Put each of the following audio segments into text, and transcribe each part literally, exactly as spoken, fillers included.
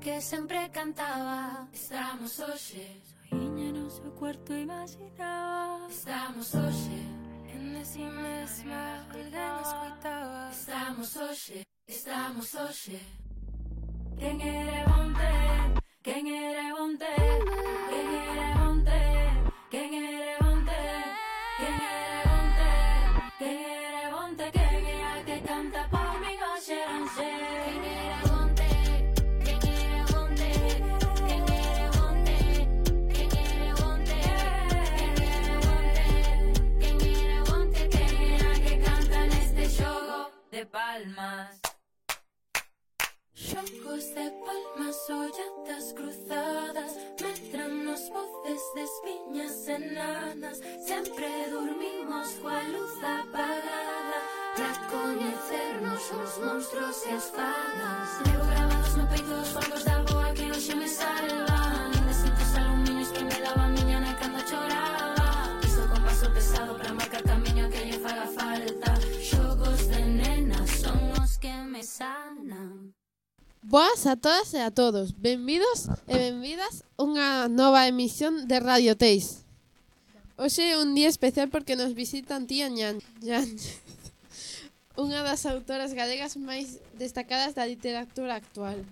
que sempre cantaba. Estamos hoxe soiña no seu cuarto imaginaba. Estamos hoxe en si mesma alguén escoitaba. Estamos hoxe, estamos hoxe. Quen era onte, quen era onte, quen era onte, quen era onte, quen era onte, quen era onte, quen era que canta por mi hoxe ranxe. Quen era onte, quen era onte, quen era onte, quen era onte, quen era onte, quen era onte, quen era que canta neste xogo de palmas. Xogos de palmas, olladas cruzadas, medranos voces de espiñas enanas. Sempre dormimos coa luz apagada pra coñecernos os monstruos e as fadas. Levo grabados no peito os focos da boa que hoxe me salvan. Desintos aluminios que me daban miña na cando choraba. Iso con paso pesado pra marcar camiño que lle faga falta. Xogos de nenas son os que me sanan. Boas a todas e a todos, benvidos e benvidas a unha nova emisión de Radio Teis. Hoxe é un día especial porque nos visitan tía Ñáñez, unha das autoras galegas máis destacadas da literatura actual.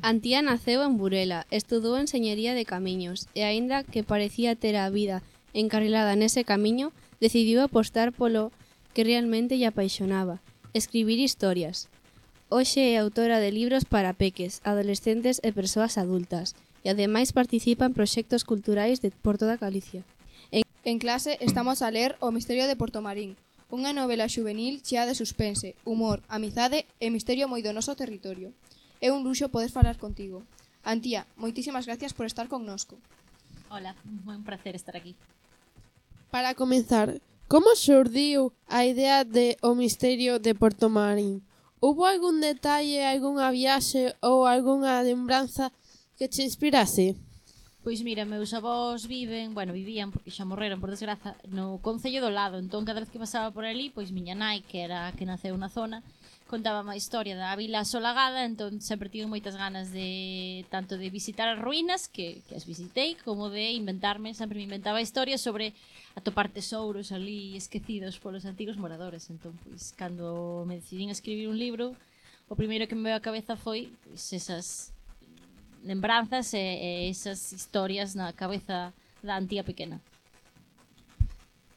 Antía naceu en Burela, estudou Enxeñería de Camiños e, aínda que parecía ter a vida encarrilada nese camiño, decidiu apostar polo que realmente lle apaixonaba, escribir historias. Hoxe é autora de libros para peques, adolescentes e persoas adultas e ademais participa en proxectos culturais de por toda Galicia. En, en clase estamos a ler O misterio de Portomarín, unha novela xuvenil chea de suspense, humor, amizade e misterio moi do noso territorio. É un luxo poder falar contigo. Antía, moitísimas gracias por estar connosco. Hola, un placer estar aquí. Para comenzar, como xurdiu a idea de O misterio de Portomarín? Hubo algún detalle, algunha viaxe ou algunha lembranza que te inspirase? Pois mira, meus avós viven, bueno, vivían porque xa morreron por desgraza no concello do lado, entón cada vez que pasaba por ali, pois miña nai, que era a que naceu na zona, contaba a historia da vila asolagada, entón sempre tive moitas ganas de tanto de visitar as ruínas, que, que as visitei, como de inventarme, sempre me inventaba historias sobre atopar tesouros ali esquecidos polos antigos moradores. Entón, pois, cando me decidín a escribir un libro, o primeiro que me veio á cabeza foi pois, esas lembranzas e, e esas historias na cabeza da Antía pequena.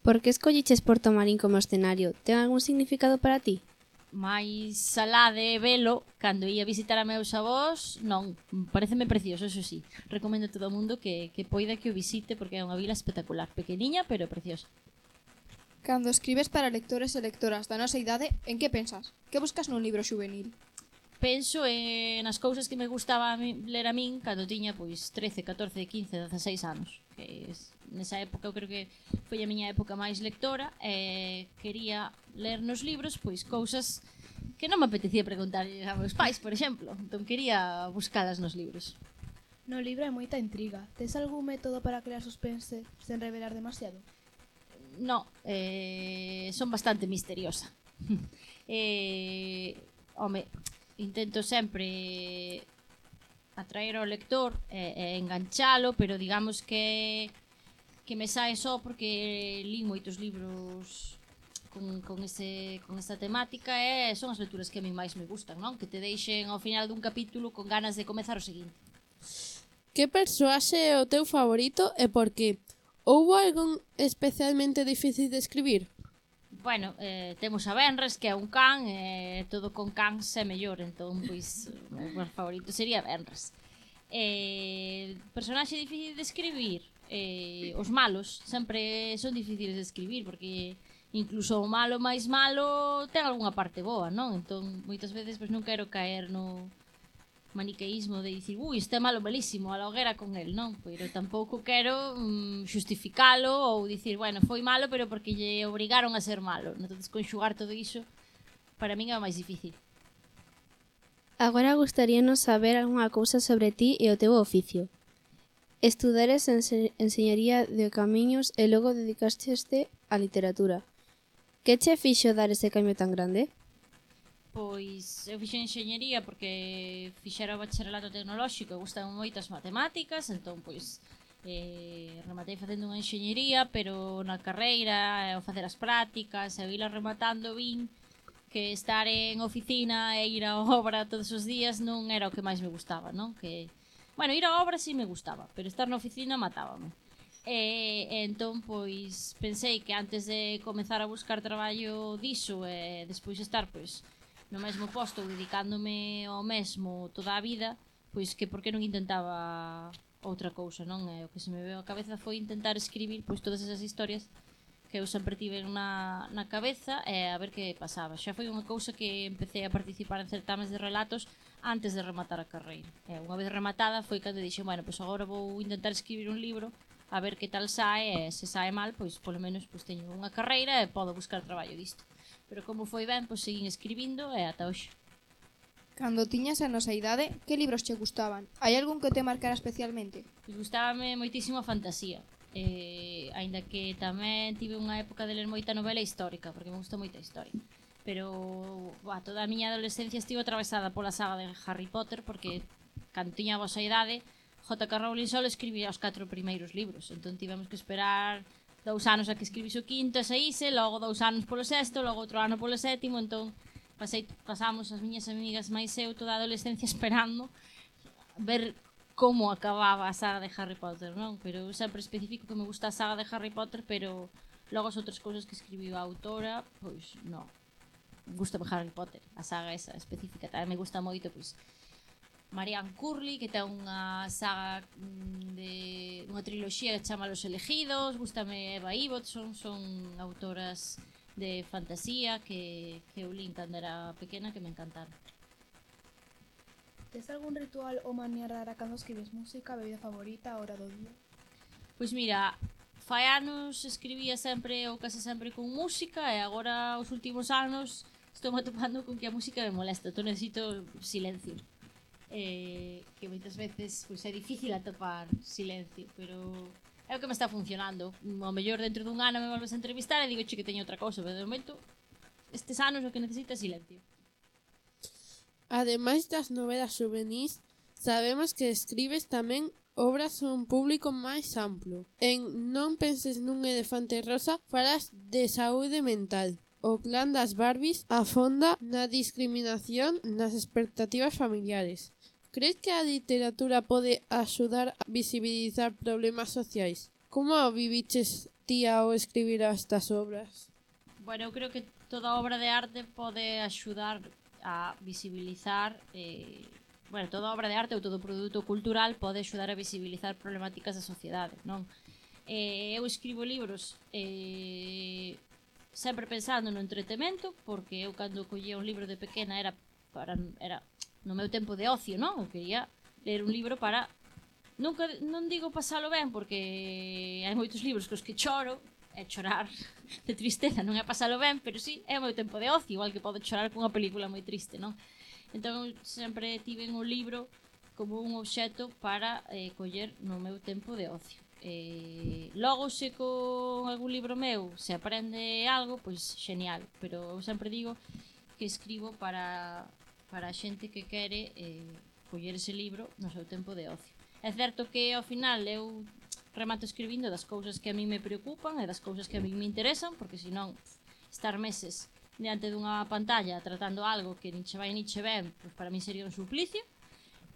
Por que escolliches Portomarín como escenario? Ten algún significado para ti? Mais alá de velo, cando ia visitar a meus avós, non, pareceme precioso, eso sí. Recomendo a todo o mundo que, que poida que o visite porque é unha vila espectacular, pequeniña pero preciosa. Cando escribes para lectores e lectoras da nosa idade, en que pensas? Que buscas nun libro xuvenil? Penso en as cousas que me gustaba a mí, ler a min cando tiña pois trece, catorce, quince, dezaseis anos. Que es, nesa época eu creo que foi a miña época máis lectora e quería ler nos libros pois cousas que non me apetecía preguntar a meus pais, por exemplo. Entón quería buscalas nos libros. No libro hai moita intriga. Tes algún método para crear suspense sen revelar demasiado? No, eh, son bastante misteriosa. eh, home, intento sempre atraer ao lector e, e enganchalo, pero digamos que que me sae só porque li moitos libros con, con, ese, con esta temática e son as lecturas que a mí máis me gustan, non? Que te deixen ao final dun capítulo con ganas de comezar o seguinte. Que persoaxe é o teu favorito e por qué? Houbo algún especialmente difícil de escribir? Bueno, eh, temos a Benres, que é un can, e eh, todo con cans é mellor, entón, pois, o meu favorito sería Benres. Eh, personaxe difícil de escribir, eh, os malos sempre son difíciles de escribir, porque incluso o malo máis malo ten algunha parte boa, non? Entón, moitas veces, pois, non quero caer no maniqueísmo de dicir, ui, este é malo malísimo, a la hoguera con el, non? Pero tampouco quero mm, justificalo ou dicir, bueno, foi malo, pero porque lle obrigaron a ser malo. Entón, conxugar todo iso, para min é o máis difícil. Agora gustaríanos saber algunha cousa sobre ti e o teu oficio. Estudares en Enxeñería de Camiños e logo dedicaste á literatura. Que che fixo dar ese cambio tan grande? Pois eu fixen enxeñería porque fixera o bacharelato tecnolóxico e gustan moitas matemáticas, entón pois eh, rematei facendo unha enxeñería, pero na carreira, ao facer as prácticas, e ir rematando vin que estar en oficina e ir á obra todos os días non era o que máis me gustaba, non? Que, bueno, ir á obra sí me gustaba, pero estar na oficina matábame. E, e entón, pois, pensei que antes de comezar a buscar traballo diso e despois estar, pois, no mesmo posto, dedicándome ao mesmo toda a vida, pois que por que non intentaba outra cousa, non? E o que se me veio á cabeza foi intentar escribir, pois, todas esas historias que eu sempre tive na, na cabeza e a ver que pasaba. Xa foi unha cousa que empecé a participar en certames de relatos antes de rematar a carreira. E unha vez rematada foi cando dixen, bueno, pois agora vou intentar escribir un libro a ver que tal sae, e se sae mal, pois polo menos pois teño unha carreira e podo buscar traballo disto. Pero como foi ben, pois seguín escribindo e ata hoxe. Cando tiñas a nosa idade, que libros che gustaban? Hai algún que te marcara especialmente? Pois gustábame moitísimo a fantasía. Eh, aínda que tamén tive unha época de ler moita novela histórica, porque me gusta moita a historia. Pero bah, toda a miña adolescencia estivo atravesada pola saga de Harry Potter, porque cando tiña a vosa idade J K Rowling só escribía os catro primeiros libros, entón tivemos que esperar dous anos a que escribise o quinto e saíse, logo dous anos polo sexto, logo outro ano polo sétimo, entón pasei, pasamos as miñas amigas máis eu toda a adolescencia esperando ver como acababa a saga de Harry Potter, non? Pero eu sempre especifico que me gusta a saga de Harry Potter, pero logo as outras cousas que escribiu a autora, pois non. Gusta Harry Potter, a saga esa específica, tamén me gusta moito, pois Marianne Curley, que ten unha saga de unha triloxía que chama Los Elegidos, gústame Eva Ibbotson, son autoras de fantasía que, que eu lín cando era pequena que me encantaron. Tes algún ritual ou maneira rara cando escribes música, bebida favorita, hora do día? Pois mira, fai anos escribía sempre ou case sempre con música e agora os últimos anos estou atopando con que a música me molesta, entón necesito silencio. Eh, que moitas veces pois, é difícil atopar silencio, pero é o que me está funcionando. Ao mellor dentro dun ano me volves a entrevistar e digo che que teño outra cousa, pero de momento estes anos o que necesito é silencio. Ademais das novelas juvenís, sabemos que escribes tamén obras a un público máis amplo. En Non penses nun elefante rosa falas de saúde mental. O clan das Barbies afonda na discriminación nas expectativas familiares. Crees que a literatura pode axudar a visibilizar problemas sociais? Como viviches ti ao escribir estas obras? Bueno, eu creo que toda obra de arte pode axudar a visibilizar eh, bueno, toda obra de arte ou todo produto cultural pode axudar a visibilizar problemáticas da sociedade, non? Eh, eu escribo libros eh, sempre pensando no entretemento, porque eu cando collía un libro de pequena era para era no meu tempo de ocio, non? Eu quería ler un libro para nunca non digo pasalo ben, porque hai moitos libros cos que choro, é chorar de tristeza, non é pasalo ben, pero sí, é o meu tempo de ocio, igual que podo chorar cunha película moi triste, non? Entón sempre tive un libro como un obxecto para eh, coller no meu tempo de ocio. Eh, logo se con algún libro meu se aprende algo, pois genial, pero eu sempre digo que escribo para para a xente que quere eh, coller ese libro no seu tempo de ocio. É certo que ao final eu remato escribindo das cousas que a mí me preocupan e das cousas que a mí me interesan, porque senón estar meses diante dunha pantalla tratando algo que nin che vai nin che ven, pois para mí sería un suplicio.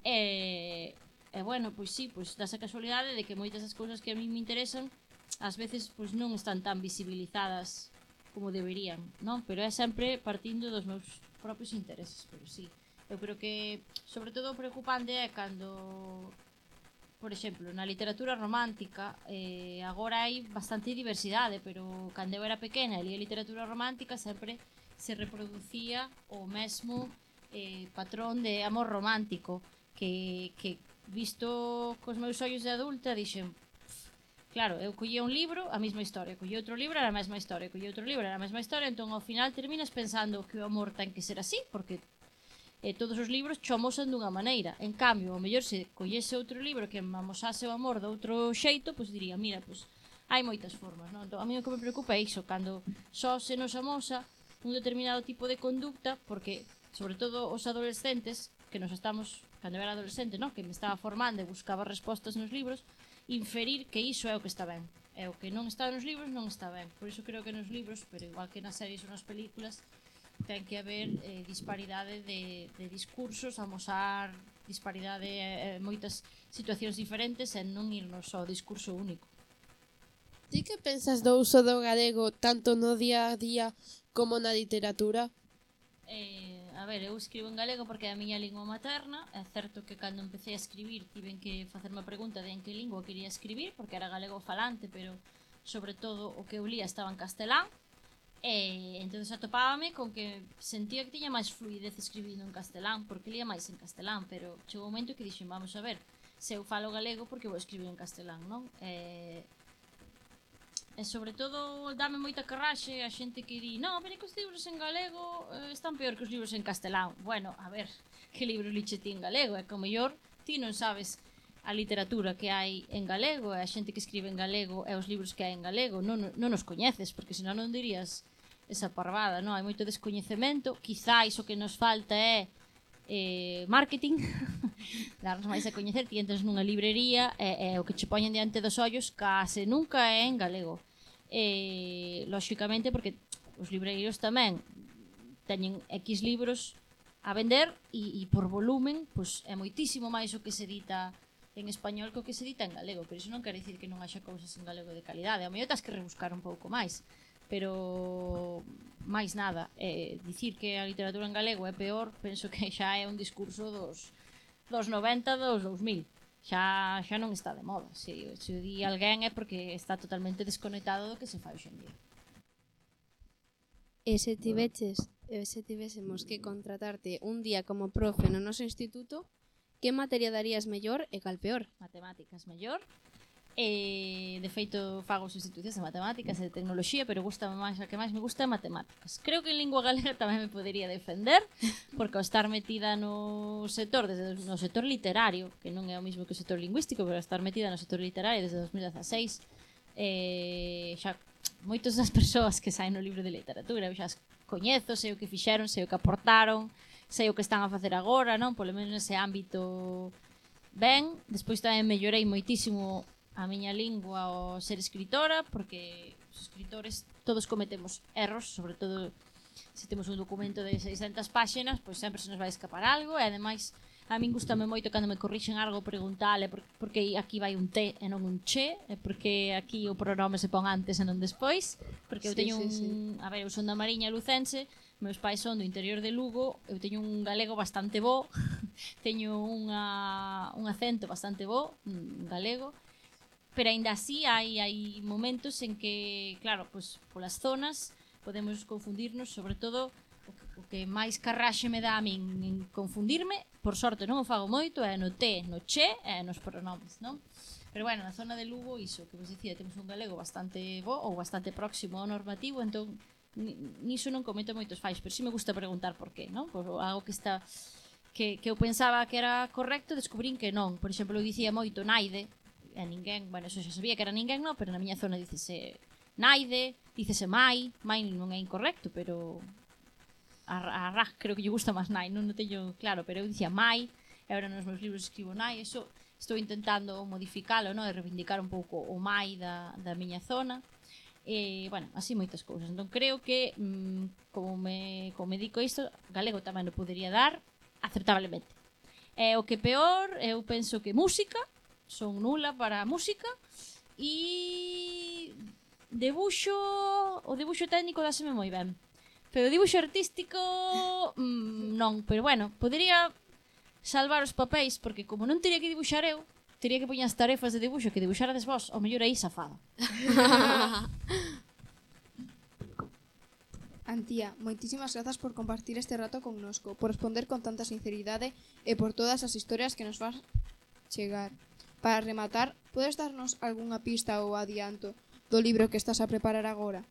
E, e bueno, pois sí, pois dá esa casualidade de que moitas das cousas que a mí me interesan ás veces pois non están tan visibilizadas como deberían, non? Pero é sempre partindo dos meus propios intereses, pero sí. Eu creo que, sobre todo, o preocupante é cando, por exemplo, na literatura romántica, eh, agora hai bastante diversidade, pero cando eu era pequena e lia literatura romántica sempre se reproducía o mesmo eh, patrón de amor romántico que, que visto cos meus ollos de adulta dixen, claro, eu collía un libro, a mesma historia, collía outro libro, era a mesma historia, collía outro libro, era a mesma historia, entón ao final terminas pensando que o amor ten que ser así, porque eh, todos os libros cho amosan dunha maneira. En cambio, ao mellor se collese outro libro que me amosase o amor de outro xeito, pois diría, mira, pois hai moitas formas, non? Entón, a mí o que me preocupa é iso, cando só se nos amosa un determinado tipo de conducta, porque sobre todo os adolescentes, que nos estamos, cando era adolescente, no? Que me estaba formando e buscaba respostas nos libros, inferir que iso é o que está ben. E o que non está nos libros non está ben. Por iso creo que nos libros, pero igual que nas series ou nas películas, ten que haber eh, disparidade de, de discursos, amosar disparidade e eh, moitas situacións diferentes e non irnos ao discurso único. Ti que pensas do uso do galego tanto no día a día como na literatura? Eh, a ver, eu escribo en galego porque é a miña lingua materna. É certo que cando empecé a escribir tiven que facerme a pregunta de en que lingua quería escribir, porque era galego falante, pero sobre todo o que eu lía estaba en castelán. E entonces atopábame con que sentía que tiña máis fluidez escribindo en castelán, porque lía máis en castelán, pero chegou un momento que dixen, vamos a ver, se eu falo galego porque vou escribir en castelán, non? E, e sobre todo dame moita carraxe a xente que di, non, pero que os libros en galego eh, están peor que os libros en castelán. Bueno, a ver, que libros liche ti en galego? É que o mellor ti non sabes a literatura que hai en galego, e a xente que escribe en galego e os libros que hai en galego, non, non os coñeces, porque senón non dirías esa parvada, non? Hai moito descoñecemento, quizáis o que nos falta é eh, marketing, darnos máis a coñecer. Ti entras nunha librería e, e o que che poñen diante dos ollos case nunca é en galego. E, lóxicamente, porque os libreiros tamén teñen X libros a vender e, e por volumen, pois, é moitísimo máis o que se edita en español que o que se edita en galego, pero iso non quere dicir que non haxa cousas en galego de calidade. A mellor tas que rebuscar un pouco máis, pero máis nada, eh, dicir que a literatura en galego é peor, penso que xa é un discurso dos, dos noventa, dos dous mil. Xa, xa non está de moda. Se, se o di alguén é porque está totalmente desconectado do que se fai hoxe en día. E se tiveches, e se tivésemos que contratarte un día como profe no noso instituto, que materia darías mellor e cal peor? Matemáticas mellor. E, de feito, fago sustitucións de matemáticas e de tecnoloxía, pero gusta máis, a que máis me gusta é matemáticas. Creo que en lingua galega tamén me podería defender, porque ao estar metida no sector, desde no sector literario, que non é o mesmo que o sector lingüístico, pero estar metida no sector literario desde dos mil dezaseis, eh, xa moitas das persoas que saen no libro de literatura, eu xa as coñezo, sei o que fixeron, sei o que aportaron, sei o que están a facer agora, non? Polo menos nese ámbito ben. Despois tamén mellorei moitísimo a miña lingua ao ser escritora, porque os escritores todos cometemos erros, sobre todo se temos un documento de seiscentas páxinas, pois sempre se nos vai escapar algo, e ademais a min gustame moito cando me corrixen algo preguntale porque aquí vai un T e non un che, e porque aquí o pronome se pon antes e non despois, porque eu teño sí, un, sí, sí. A ver, eu son da Mariña lucense, meus pais son do interior de Lugo, eu teño un galego bastante bo, teño unha, un acento bastante bo, un galego, pero aínda así hai, hai momentos en que, claro, pues, polas zonas podemos confundirnos, sobre todo o que, o que máis carraxe me dá a min en confundirme, por sorte non o fago moito, é no te, no che e nos pronomes, non? Pero bueno, na zona de Lugo, iso, que vos dicía, temos un galego bastante bo ou bastante próximo ao normativo, entón niso non cometo moitos fallos, pero si me gusta preguntar por qué, non? Por algo que está que, que eu pensaba que era correcto, descubrín que non. Por exemplo, eu dicía moito naide, e ninguén, bueno, eso xa sabía que era ninguén, non, pero na miña zona dicese naide, dicese mai, mai non é incorrecto, pero a, a Raj creo que lle gusta máis nai, non o teño claro, pero eu dicía mai, e agora nos meus libros escribo nai, eso estou intentando modificalo, non, e reivindicar un pouco o mai da, da miña zona, e, bueno, así moitas cousas. Entón creo que, mmm, como me, como me dico isto, galego tamén o podería dar acertablemente. E o que peor, eu penso que música, son nula para a música, e debuxo, o debuxo técnico dáseme moi ben, pero o debuxo artístico mmm, non, pero bueno, podería salvar os papéis, porque como non teria que dibuxar eu, teria que poñer as tarefas de dibuxo que dibuxarades vos, o mellor aí safada. Antía, moitísimas grazas por compartir este rato connosco, por responder con tanta sinceridade e por todas as historias que nos vas chegar. Para rematar, podes darnos algunha pista ou adianto do libro que estás a preparar agora?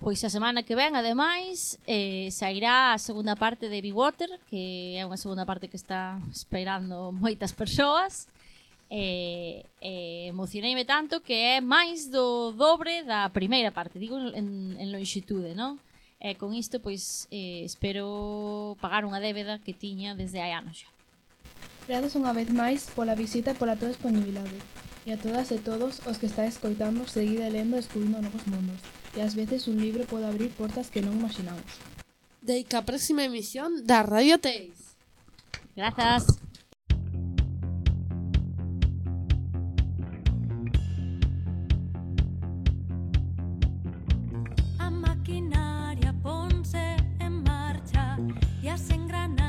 Pois a semana que ven, ademais, eh, sairá a segunda parte de Be Water, que é unha segunda parte que está esperando moitas persoas. E, e emocioneime tanto que é máis do dobre da primeira parte, digo en, en longitude, non? E con isto, pois, eh, espero pagar unha débeda que tiña desde hai anos xa. Grazas unha vez máis pola visita e pola tua disponibilidade. E a todas e todos os que estáis escoitando, seguide lendo e descubrindo novos mundos. E ás veces un libro pode abrir portas que non imaginamos. Deica a próxima emisión da Radio Teis. Grazas. A maquinaria ponse en marcha e as engranaxes